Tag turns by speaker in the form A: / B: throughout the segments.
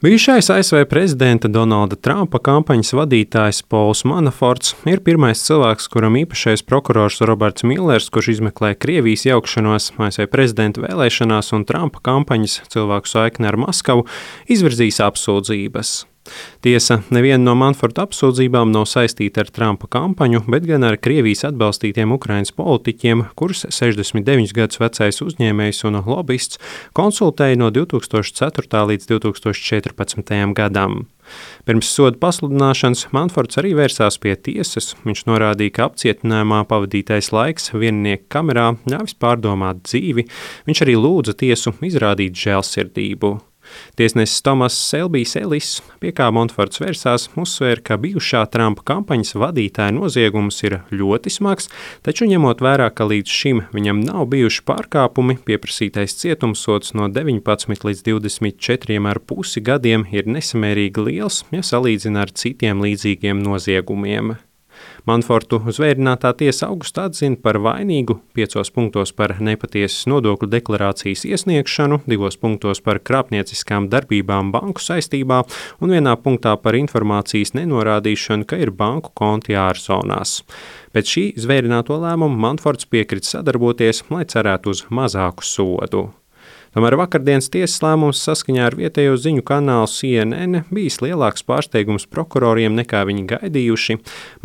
A: Bijušais ASV prezidenta Donalda Trumpa kampaņas vadītājs Pols Manaforts ir pirmais cilvēks, kuram īpašais prokurors Roberts Millers, kurš izmeklē Krievijas iejaukšanos ASV prezidenta vēlēšanās un Trumpa kampaņas cilvēku saikni ar Maskavu, izvirzīs apsūdzības. Tiesa, neviena no Manaforta apsūdzībām nav saistīta ar Trumpa kampaņu, bet gan ar Krievijas atbalstītiem Ukrainas politiķiem, kurus 69 gadus vecais uzņēmējs un lobists konsultēja no 2004. līdz 2014. gadam. Pirms soda pasludināšanas Manaforts arī vērsās pie tiesas. Viņš norādīja, ka apcietinājumā pavadītais laiks viennieku kamerā ļāvis pārdomāt dzīvi. Viņš arī lūdza tiesu izrādīt žēlsirdību. Tiesnesis Tomas Selbijs Ellis, pie kā Manaforts vērsās, uzsvēra, ka bijušā Trumpa kampaņas vadītāja noziegums ir ļoti smags, taču ņemot vērā, ka līdz šim viņam nav bijuši pārkāpumi, pieprasītais cietumsods no 19 līdz 24,5 gadiem ir nesamērīgi liels, ja salīdzina ar citiem līdzīgiem noziegumiem. Manafortu zvērinātā tiesa augustā atzina par vainīgu 5 punktos par nepatiesas nodokļu deklarācijas iesniegšanu, 2 punktos par krāpnieciskām darbībām banku saistībā un 1 punktā par informācijas nenorādīšanu, ka ir banku konti ārzonās. Pēc šī zvērināto lēmumu Manaforts piekrita sadarboties, lai cerētu uz mazāku sodu. Tomēr vakardienas tiesas lēmums saskaņā ar vietējo ziņu kanālu CNN bijis lielāks pārsteigums prokuroriem nekā viņi gaidījuši.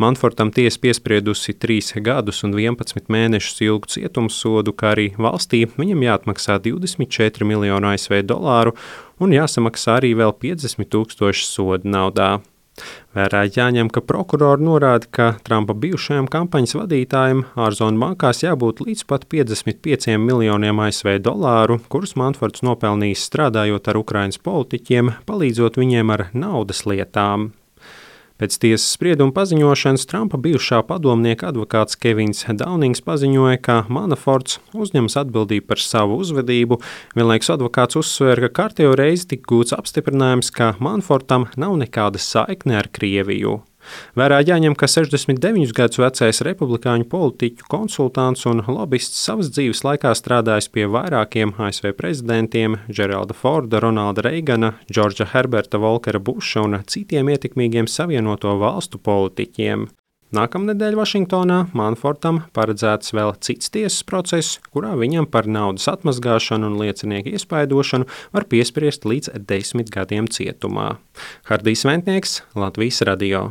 A: Manafortam tiesa piespriedusi 3 gadus un 11 mēnešus ilgu cietumsodu, kā arī valstī viņam jāatmaksā 24 miljonu ASV dolāru un jāsamaksā arī vēl 50 000 soda naudā. Vērā jāņem, ka prokurori norāda, ka Trumpa bijušajam kampaņas vadītājam ārzonu bankās jābūt līdz pat 55 miljoniem ASV dolāru, kurus Manaforts nopelnījis strādājot ar Ukrainas politiķiem, palīdzot viņiem ar naudas lietām. Pēc tiesas sprieduma paziņošanas Trumpa bijušā padomnieka advokāts Kevins Daunings paziņoja, ka Manaforts uzņemas atbildību par savu uzvedību. Vienlaikus advokāts uzsvēra, ka kārtējo reizi tika gūts apstiprinājums, ka Manafortam nav nekāda saikne ar Krieviju. Vērā jāņem, ka 69 gadus vecais republikāņu politiķu konsultants un lobists savas dzīves laikā strādājis pie vairākiem ASV prezidentiem – Geralda Forda, Ronalda Reigana, Džordža Herberta Volkera Buša un citiem ietekmīgiem Savienoto valstu politiķiem. Nākamnedēļ Vašingtonā Manafortam paredzēts vēl cits tiesas process, kurā viņam par naudas atmazgāšanu un liecinieku iespaidošanu var piespriest līdz 10 gadiem cietumā. Hardijs Ventnieks, Latvijas radio.